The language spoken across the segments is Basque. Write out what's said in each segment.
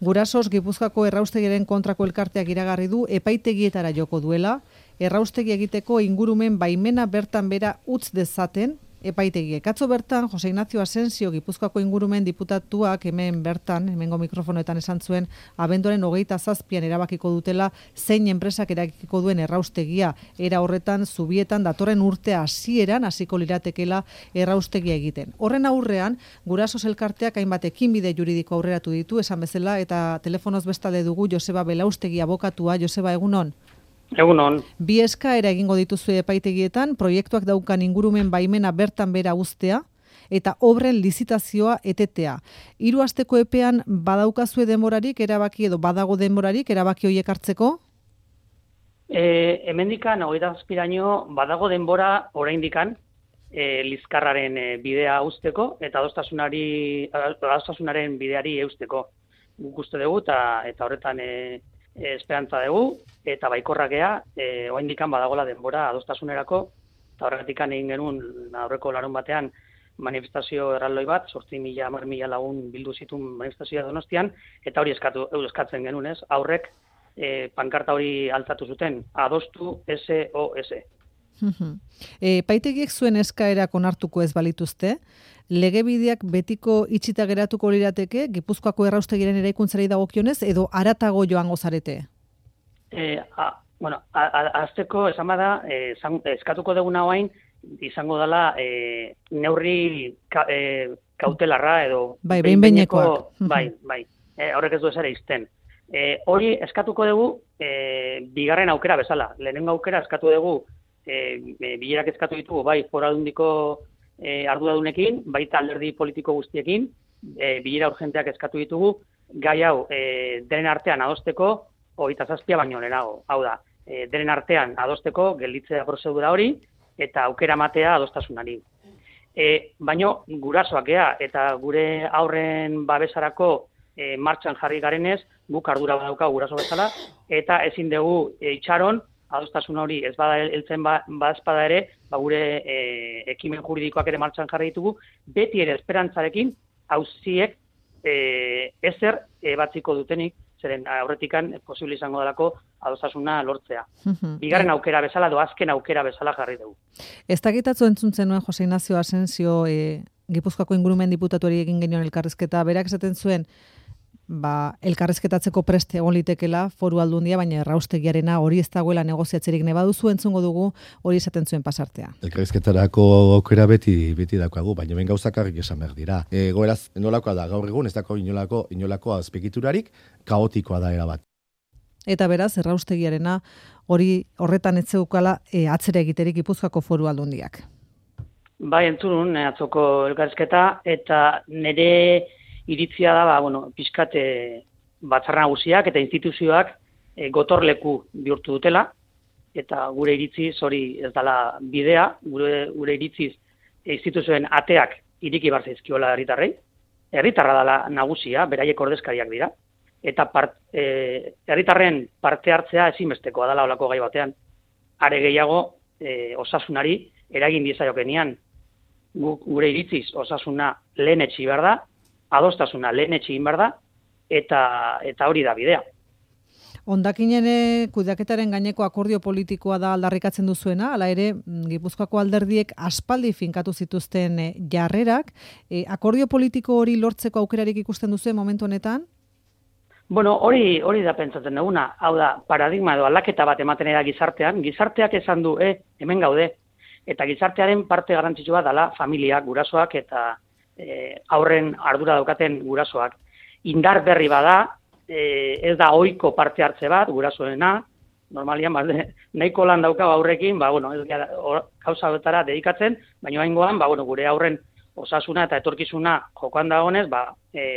Gurasos Gipuzkoako erraustegiaren kontrako elkarteak iragarri du epaitegietara joko duela, erraustegi egiteko ingurumen baimena bertan bera utz dezaten epaitegiek. Atzo bertan, Jose Ignacio Asensio Gipuzkoako ingurumen diputatuak hemengo mikrofonoetan esan zuen, abenduaren 27an erabakiko dutela zein enpresak erabakiko duen erraustegia. Era horretan, Zubietan datorren urte hasieran hasiko liratekela erraustegia egiten. Horren aurrean, Gurasos elkarteak hainbat ekinbide juridiko aurreratu ditu, esan bezala, eta telefonoz bestalde dugu Joseba Belaustegi abokatua. Joseba, egunon? Egunon. Bi eskaera egingo dituzue epaitegietan, proiektuak daukan ingurumen baimena bertan bera uztea eta obren lizitazioa etetea. 3 asteko epean badaukazue denborarik erabaki edo badago denborarik erabaki horiek hartzeko? Hemendikan 27 badago denbora oraindikan Lizkarraren bidea uzteko eta adostasunaren bideari eusteko. Guk uste dugu eta horretan esperantza dugu, eta baikorrak gea, oraindikan badagola denbora adostasunerako, eta horretikan egin genuen aurreko larun batean manifestazio erraldoi bat, 8.000 lagun bildu zituen manifestazioa Donostian, eta hori eskatzen genuen, ez? Aurrek pankarta hori altzatu zuten, adostu SOS. Epaitegiek zuen eskaerak onartuko ez balituzte, legebideak betiko itxita geratuko lirateke Gipuzkoako erraustegiren eraikuntzari dagokionez edo haratago joango zarete? Azteko esan bada, eskatuko duguna hoain, izango dela neurri kautelarra edo... behin-behinekoak. Horrek ez du esare izten. Hori eskatuko dugu bigarren aukera bezala. Lehenengo aukera eskatu dugu, bilerak eskatu ditugu, bai, Foru Aldundiko arduradunekin, baita alderdi politiko guztiekin, bilera urgenteak eskatu ditugu, gai hau denen artean adosteko, 27 baino lehenago. Hau da, denen artean adosteko, gelditzea prozedura hori, eta aukera matea adostasunari. Baino, gurasoak gea, eta gure aurren babesarako martxan jarri garenez, guk ardura badauka guraso bezala, eta ezin dugu itxaron, adostasun hori ez bada heltzen bazpada ere, gure ekimen juridikoak ere martxan jarri ditugu, beti ere esperantzarekin auziek ezer batziko dutenik, zeren aurretikan posible izango delako adostasuna lortzea. Bigarren aukera bezala, azken aukera bezala jarri dugu. Ez dakitatzu entzuntzen nuen Jose Ignacio Asensio Gipuzkoako ingurumen diputatuari egin genion elkarrizketa, berak esaten zuen, elkarrizketatzeko preste egon litekela Foru Aldundia, baina erraustegiarena hori ez dagoela negoziatzerik ne baduzu entzungo dugu hori esaten zuen pasartea. Elkarrizketarako aukera beti daukagu, baina hemen gauzak argi esan behar dira. Goeraz, nolakoa da, gaur egun ez dago inolako azpegiturarik, kaotikoa da erabat. Eta beraz, erraustegiarena horretan ez zeukala atzera egiterik Gipuzkoako Foru Aldundiak. Bai, entzun atzoko elkarrizketa, eta nire iritzia da, pixkat batzar nagusiak eta instituzioak gotorleku bihurtu dutela, eta gure iritziz hori ez dela bidea, gure iritziz instituzioen ateak iriki bar zaizkiola herritarrei. Herritarra dela nagusia, beraiek ordezkariak dira, eta herritarren parte hartzea ezinbestekoa dela holako gai batean. Are gehiago osasunari eragin diezaiokenean. Gure iritziz osasuna lehenetsi behar da, adostasuna lehenetsi egin behar da, eta hori da bidea. Hondakinen kudeaketaren gaineko akordio politikoa da aldarrikatzen duzuena, hala ere Gipuzkoako alderdiek aspaldi finkatu zituzten jarrerak, akordio politiko hori lortzeko aukerarik ikusten duzuen momentu honetan? Hori da pentsatzen duguna, hau da, paradigma edo aldaketa bat ematen da gizarteak esan du, hemen gaude, eta gizartearen parte garrantzitsua dela familiak, gurasoak eta aurren ardura daukaten gurasoak. Indar berri bada, ez da ohiko parte hartze bat, gurasoena, normalian, nahiko lan dauka aurrekin, ez gauza betara dedikatzen, baina haingoan, gure aurren osasuna eta etorkizuna jokoan dagoenez,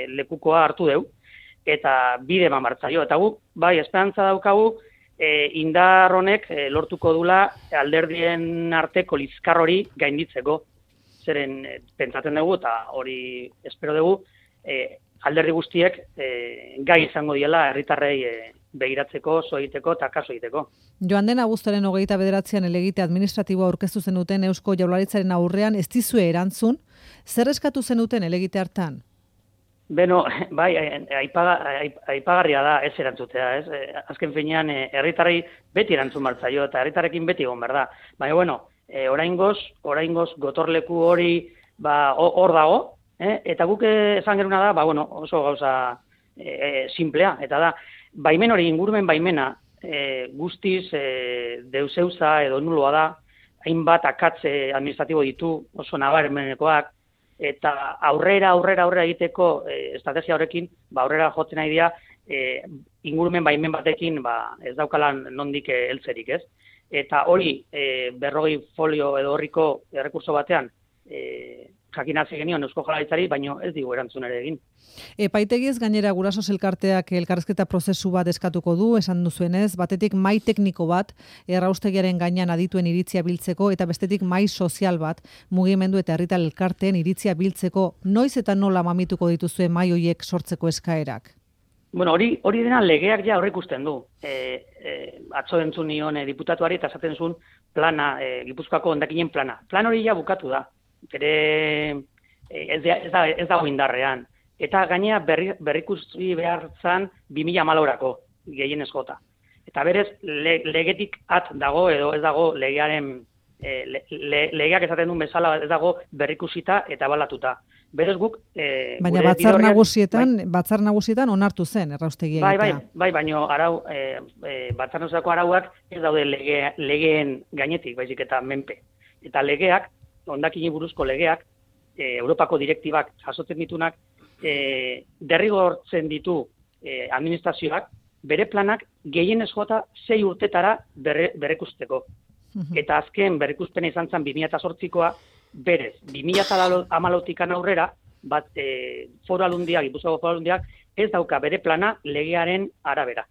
lekukoa hartu deu, eta bide eman martzaio. Eta gu, esperantza daukagu, indar honek lortuko dula alderdien arteko lizkar hori gainditzeko. Zeren pentsatzen dugu, eta hori espero dugu, alderdi guztiek gai izango diela herritarrei begiratzeko, zo egiteko eta kaso egiteko. Joan den abuztuaren 29an helegite administratiboa aurkeztu zenuten Eusko Jaurlaritzaren aurrean ez dizue erantzun, zer eskatu zenuten helegite hartan? Beno, bai, aipagarria da ez erantzutea, ez? Azken finean, herritarrei beti erantzun martzaio, eta herritarrekin beti egon behar da. Baina, bueno, oraingoz gotorleku hori hor dago, eta guk esan geruna da, bueno, oso gauza simplea, eta da, baimen hori, ingurumen baimena, guztiz deuseuza edo nuloa da, hainbat akatze administratibo ditu, oso nabarmenekoak, eta aurrera egiteko estrategia horrekin, aurrera jotzen nahi dira, ingurumen baimen batekin ez daukalan nondik heltzerik, ez? Eta hori 40 folio edo horriko errekurso batean jakinatzi genion Eusko Jaurlaritzari, baino ez digu erantzun ere egin. Epaitegiez gainera Gurasos elkarteak elkarrizketa prozesu bat eskatuko du, esan duzuenez, batetik mahai tekniko bat erraustegiaren gainean adituen iritzia biltzeko eta bestetik mahai sozial bat mugimendu eta herritar elkarteen iritzia biltzeko. Noiz eta nola mamituko dituzue mahai horiek sortzeko eskaerak? Bueno, hori dena legeak ja aurreikusten du. Atzo entzun nion diputatuari eta esaten zuen plana, Gipuzkoako hondakinen plana. Plan hori ja bukatu da. Ez dago indarrean. Eta gainea berrikusi behar zan 2014 gehienez jota. Eta berez, legetik at dago edo ez dago legearen, legeak esaten duen bezala ez dago berrikusita eta balatuta. Berez guk... Baina batzar nagusietan onartu zen, erraustegia egitea. Bai, baina batzar nagusitako arauak ez daude legeen gainetik, baizik eta menpe. Eta legeak, hondakini buruzko legeak, Europako direktibak jasotzen ditunak, derrigortzen ditu administrazioak, bere planak gehienez jota 6 urtetara berrekusteko. Eta azken berrikuspena izan zen 2008koa, berez, 2014tik aurrera, Foru Aldundiak, Gipuzkoako Foru Aldundiak, ez dauka bere plana legearen arabera.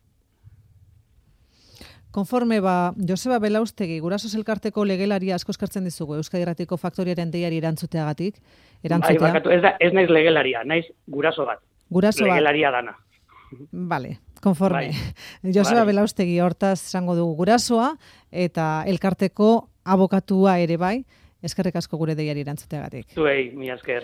Konforme Joseba Belaustegi, Gurasos elkarteko legelaria asko eskartzen dizugu Euskadi Irratiko Faktoriaren deiari erantzuteagatik. Bai, bakatu, ez naiz legelaria, naiz guraso bat. Legelaria dana. Vale, konforme. Bai. Joseba Belaustegi hortaz esango dugu gurasoa eta elkarteko abokatua ere bai. Eskerrik asko gure deiari erantzuteagatik. Zuei, mila esker.